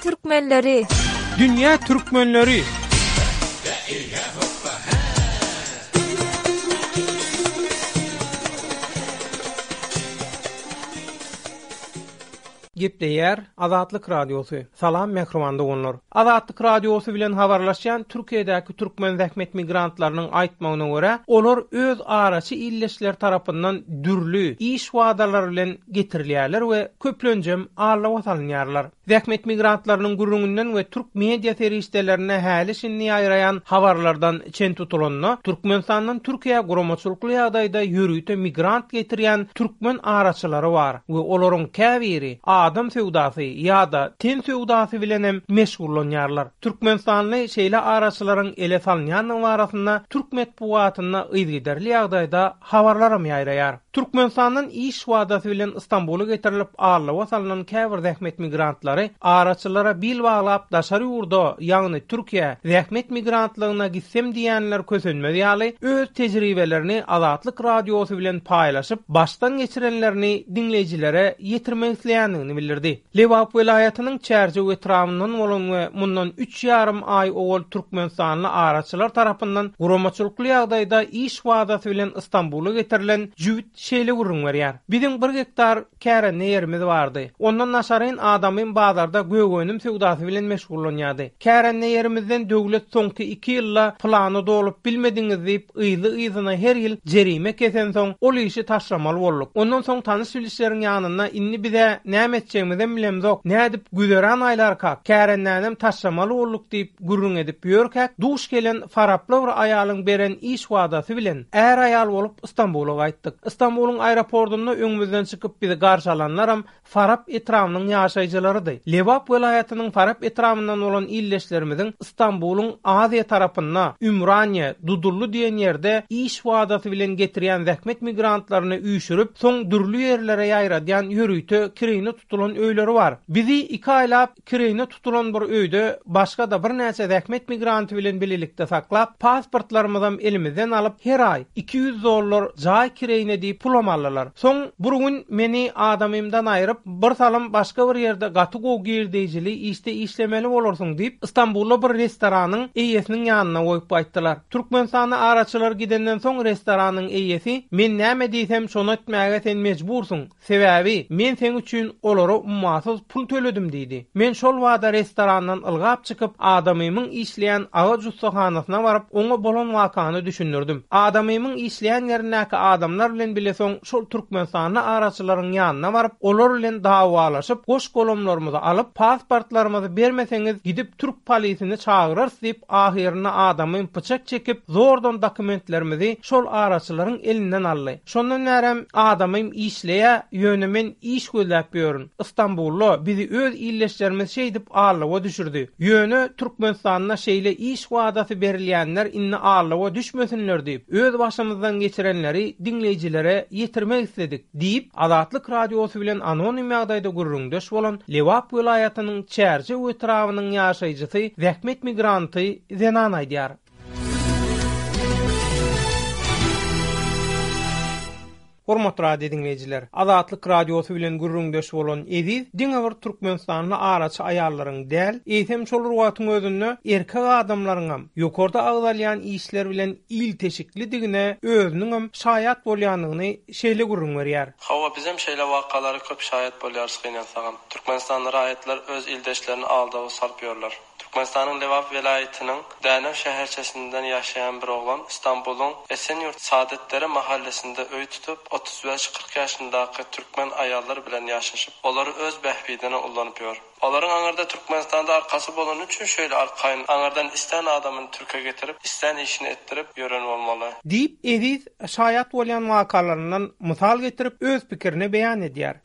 türkmenleri! Dünýä türkmenleri! Gepleýär Azatlyk Radiosy. Salam mähriban doganlar. Azatlyk Radiosy bilen habarlaşýan Türkiýedäki türkmen zähmet migrantlarynyň aýtmagyna görä, olar öz araçy ildeşleri tarapyndan dürli iş wadalary bilen getirilýärler we köplenjem aldawa salynýarlar. Zähmet migrantlarynyň gürrüňinden we türk media serişdelerinde häli-şindi ýaýraýan habarlardan çen tutulanda, Türkmenistandan Türkiýä guramaçylykly ýagdaýda ýörite migrant getirýän türkmen araçylary bar we olaryň käbiri adam söwdasy ýa-da ten söwdasy bilenem meşgullanýarlar. Türkmenistanly şeýle araçylaryň ele salynýandygy barasynda türk metbugatynda yzygiderli ýagdaýda habarlaram ýaýraýar. Türkmenistandan iş wadasy bilen Stambula getirilip aldawa salnan käbir zähmet migrantlary araçylara bil baglap daşary ýurda, ýagny Türkiýä zähmet migrantlygyna gitsem diýýänler kösenmez ýaly öz tejribelerini Azatlyk Radiosy bilen paýlaşyp, başdan geçirenlerini diňleýjilere ýetirmek isleýändigini bildirdi. Lebap welaýatynyň Çärjew etrabyndan bolan we mundan üç ýarym aý owal türkmenistanly araçylar tarapyndan guramaçylykly ýagdaýda iş wadasy bilen Stambula getirilen jübüt şeýle gürrüň berýär, Biziň bir gektar kärende ýerimiz bardy. Ondan daşaryn adamym bazarda gök önüm söwdasy bilen meşgullanýardy. Kärende ýerimizden döwlet soňky iki ýylda plany dolup bilmediňiz diýip, yzly-yzyna her ýyl jerime kesensoň, ol işi taşlamaly bolduk. Ondan soň tanyş-bilişleriň ýanynda indi biz-ä näme etjegimizem bilemzok, nädip güzeran aýlarkak, kärendänem taşlamaly bolduk diýip gürrüň edip ýörkäk, duş gelen faraply bir aýalyň beren iş wadasy bilen, är-aýal bolup Stambula gaýtdyk. Stambulyň aeropordunda öňümizden çykyp bizi garşy alanlaram Farap etrabynyň ýaşaýjylarydy. Lebap welaýatynyň Farap etrabyndan bolan ildeşlerimiziň Stambulyň Aziýa tarapynda, Ümraniýe, Dudully diýen ýerde iş wadasy bilen getirýän zähmet migrantlaryny üýşürip, soň dürli ýerlere ýaýradýan ýörite kireýine tutulan öýleri bar. Bizi iki aýlap kireýine tutulan bir öýde başga-da birnäçe zähmet migranty bilen bilelikde saklap, pasportlarymyzam elimizden alyp, her aý 200 dollar jaý kireýine diýip pulam aldylar. Soň bir gün meni adamymdan aýryp, bir salym başga bir ýerde gaty gowy girdeýjili işde işlemeli bolarsyň diýip, Stambulda bir restoranyň eýesiniň ýanyna goýup gaýtdylar. Türkmenistana araçylar gidenden soň restoranyň eýesi, Men näme diýsem şony etmäge sen mejbursyň, Sebäbi, men seň üçin olara ummasyz pul töledim diýdi. Men şol bada restorandan ylgap çykyp, adamymyň işleýän agaç ussahanasyna baryp, oňa bolan wakany düşündirdim. Adamymyň işleýän ýerindäki adamlar bilen bile soň şol türkmenistanly araçylaryň ýanyna baryp, olar bilen dawalaşyp, goş-golamlarymyzy alyp, pasportlarymyzy bermeseňiz, gidip türk polisini çagyrarys diýip, ahyrynda adamym pyçak çekip, zordan dokumentlerimizi şol araçylaryň elinden aldy. Şondan bärem adamym işleýä, ýöne men iş gözläp ýörün. Istanbulda bizi öz ildeşlerimiz şeýdip aldawa düşürdi. Ýöne Türkmenistanda şeýle iş wadasy berilýänler indi aldawa düşmesinler diýip, öz başymyzdan geçirenleri diňleýjilere ýetirmek isledik, diýip, Azatlyk Radiosy bilen anonim ýagdaýda gürrüňdeş bolan Lebap welaýatynyň Çärjew etrabynyň ýaşaýjysy, zähmet migranty zenan aýdýar. Hormatly radio diňleýjiler, Azatlyk Radiosy bilen gürrüňdeş bolan Eziz diňe bir türkmenistanly araçy aýallaryň däl, eýsem şol bir wagtyň özünde erkek adamlaryňam ýokarda agzalýan işler bilen ilteşiklidigine özüniňem şaýat bolýandygyny şeýle gürrüň berýär. Hawa, bizem şeýle wakalara köp şaýat bolýarys gynansagam. Türkmenistanly raýatlar öz ildeşlerini aldawa salyp ýörler. Türkmenistanyň Lebap welaýatynyň Dänew şäherçesinden ýaşaýan bir oglan Stambulyň Esenýurt Saadetdere mahallesinde öý tutup, 35-40 ýaşyndaky türkmen aýallar bilen ýaşaşyp, olary öz bähbidine ullanyp ýör. Olaryň aňyrda Türkmenistanda arkasy bolany üçin şeýle arkaýyn aňyrdan islän adamyny türke getirip, islän işini etdirip ýören bolmaly. Diýip, Eziz şaýat bolýan wakalaryndan mysal getirip, öz pikirini beýan edýär.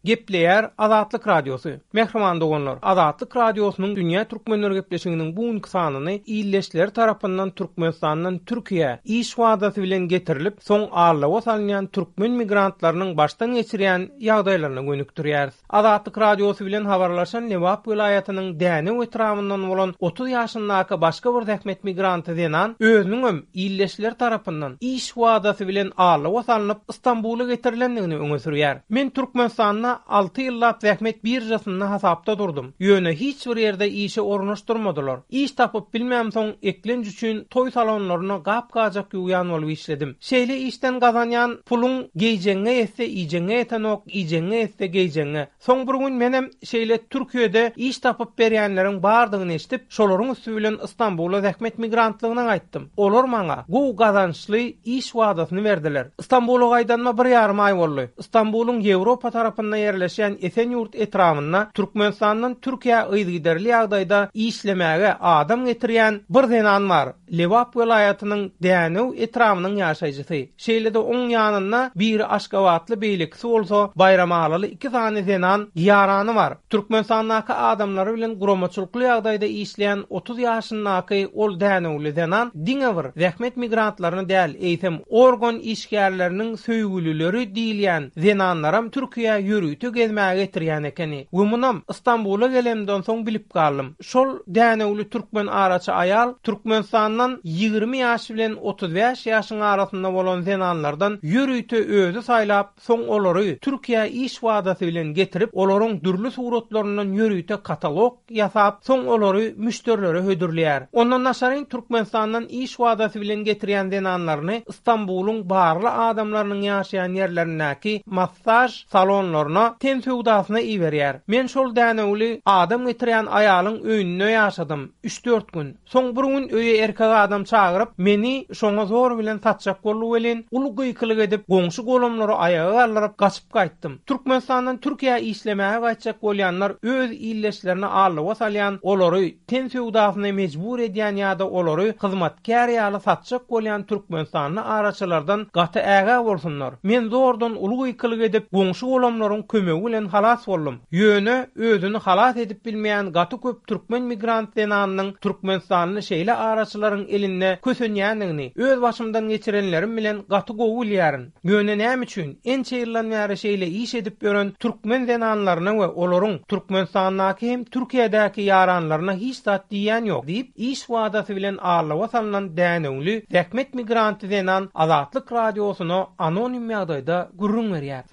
Gepleýär Azatlyk Radiosy. Mähriban doganlar, Azatlyk Radiosynyň Dünýä Türkmenleri gepleşiginiň bu günki sanyny ildeşleri tarapyndan Türkmenistandan Türkiýä iş wadasy bilen getirilip, soň aldawa salynýan türkmen migrantlarynyň başdan geçirýän ýagdaýlaryna gönükdirýäris. Azatlyk Radiosy bilen habarlaşan Lebap welaýatynyň Dänew etrabyndan bolan 30 ýaşyndaky başga bir zähmet migranty zenan özüniňem ildeşleri tarapyndan iş wadasy bilen aldawa salnyp, Stambula getirilendigini öňe sürýär. Men Türkmenistanda alty ýyllap zähmet biržasynda hasapda durdum. Ýöne hiç bir ýerde işe ornaşdyrmadylar. Iş tapyp bilmämsoň, eklenç üçin toý salonlarynda gap-gajak ýuwýan bolup işledim. Şeýle işden gazanýan puluň geýjegiňe ýetse iýjegiňe ýetenok, iýjegiňe ýetse geýjegiňe. Soň bir gün menem şeýle Türkiýede iş tapyp berýänleriň bardygyny eşidip, şolaryň üsti bilen Stambula zähmet migrantlygyna gaýtdym. Olar maňa gowy gazançly iş wadasyny berdiler. Stambula gaýdanyma bir ýarym aý boldy. Stambulyň Ýewropa tarapynda ýerleşýän Esenýurt etrabynda Türkmenistandan Türkiýä yzygiderli ýagdaýda işlemäge adam getirýän bir zenan bar. Lebap welaýatynyň Dänew etrabynyň ýaşaýjysy. Şeýle-de oň ýanynda biri aşgabatly, beýlekisi bolsa baýramalyly iki sany zenan ýarany bar. Türkmenistandaky adamlary bilen guramaçylykly ýagdaýda işleýän 30 ýaşyndaky ol dänewli zenan diňe bir zähmet migrantlaryny däl, eýsem organ işgärleriniň söýgülileri diýilýän zenanlaram Türkiýä ýörite gezmäge getirýän ekeni we munam Stambula gelemden soň bilip galdym. Şol dänewli türkmen araçy aýal Türkmenistandan 20 ýaş bilen 35 ýaşyň arasynda bolan zenanlardan ýörite özi saýlap, soň olary Türkiýä iş wadasy bilen getirip, olaryň dürli suratlaryndan ýörite katalog ýasap, soň olary müşderilere hödürleýär. Ondan daşaryn Türkmenistandan iş wadasy bilen getirýän zenanlaryny Stambulyň barly adamlarynyň ýaşaýan ýerlerindäki massaž salonlaryna ten söwdasyna iberýär. Men şol dänewli adam getirýän aýalyň öýünde ýaşadym, üç-dört gün. Soň bir gün öýe erkek adam çagyryp, meni şoňa zor bilen satjak boldy welin, uly gykylyk edip, goňşy-golamlary aýaga galdyryp, gaçyp gaýtdym. Türkmenistandan Türkiýä işlemäge gaýtjak bolýanlar öz ildeşlerini aldawa salýan, olary ten söwdasyna mejbur edýän ýa-da olary hyzmatkär ýaly satjak bolýan türkmenistanly araçylardan gaty ägä bolsunlar. Men zordan uly gykylyk edip, goňşy-golamlaryň kömegi bilen halas boldum. Ýöne özüni halas edip bilmeýän gaty köp türkmen migrant zenanynyň türkmenistanly şeýle araçylaryň elinde kösenýändigini öz başymdan geçirenlerim bilen gaty gowy bilýärin. Ýöne näme üçin ençe ýyldan bäri şeýle iş edip ýören türkmen zenanlaryna we olaryň Türkmenistandaky hem Türkiýedäki ýaranlaryna hiç zat diýýän ýok diýip, iş wadasy bilen aldawa salnan dänewli zähmet migranty zenan Azatlyk Radiosyna anonim ýagdaýda gürrüň berýär.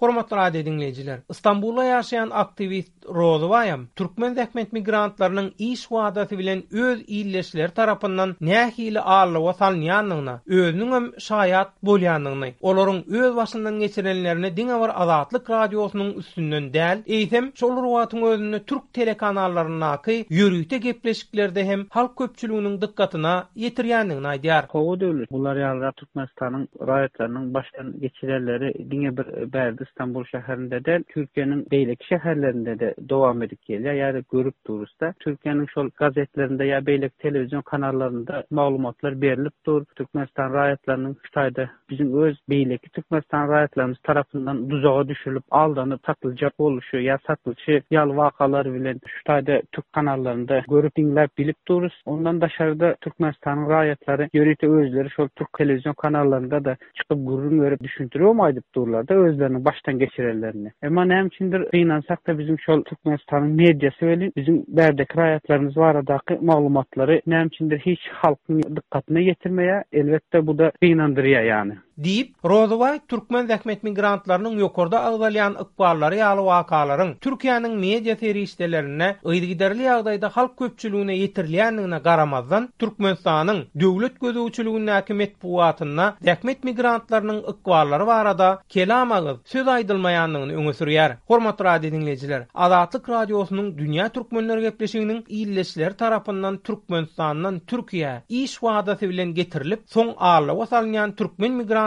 Hormatly radio diňleýjiler, Stambulda ýaşaýan aktiwist Rozybaýam türkmen zähmet migrantlarynyň iş wadasy bilen öz ildeşleri tarapyndan nähili aldawa salynýandygyna özüniňem şaýat bolýandygyny, olaryň öz başyndan geçirenlerini diňe bir Azatlyk Radiosynyň üstünden däl, eýsem, şol bir wagtyň özünde türk telekanallaryndaky ýörite gepleşiklerde hem halk köpçüliginiň dykgatyna ýetirýändigini aýdýar. Hawa Döwlet, bular ýalyrak Türkmenistanyň raýatlarynyň başdan geçirenleri diňe bir bärde Stambul şäherinde däl, Türkiýäniň beýleki şäherlerinde-de dowam edip gelýär ýa-da görüp durus-da. Türkiýäniň şol gazetlerinde ýa beýleki telewizion kanallarynda maglumatlar berlip dur. Türkmenistan raýatlarynyň şu taýda biziň öz beýleki Türkmenistan raýatlarymyz tarapyndan duzaga düşülip, aldanyp satyljak boluşy ýa satylyşy ýaly wakalar bilen şu taýda türk kanallarynda görüp, diňläp, bilip durus. Ondan daşary-da Türkmenistanyň raýatlary ýörite özleri şol türk telewizion kanallarynda-da çykyp gürrüň berip düşündiribem aýdyp durlar-da özleriniň başdan geçirenlerini. Emma näme üçindir gynansak-da biziň şol Türkmenistanyň mediasy welin biziň bärdeki raýatlarymyz baradaky maglumatlary näme üçindir hiç halkyň dykgatyna ýetirmeýär. Elbetde bu-da gynandyrýar ýany. Diýip, Rozybaý türkmen zähmet migrantlarynyň ýokarda agzalýan ykballary ýaly wakalaryň Türkiýäniň media serişdelerinde yzygiderli ýagdaýda halk köpçüligine ýetirilýändigine garamazdan, Türkmenistanyň döwlet gözegçiligindäki metbugatynda zähmet migrantlarynyň ykballary barada kelam agyz söz aýdylmaýandygyny öňe sürýär. Hormatly radio diňleýjiler, Azatlyk Radiosynyň Dünýä Türkmenleri gepleşiginiň ildeşleri tarapyndan Türkmenistandan Türkiýä iş wadasy bilen getirilip, soň aldawa salynýan türkmen migrantlarynyň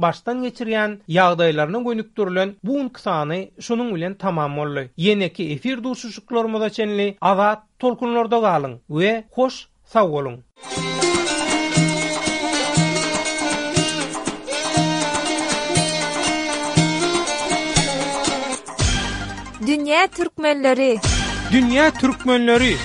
başdan geçirýän ýagdaýlaryna gönükdirilen bu günki sany şunuň bilen tamam boldy. Ýeneki efir duşuşyklarymyza çenli azat tolkunlarda galyň we hoş sag boluň! Dünýä türkmenleri! Dünýä türkmenleri!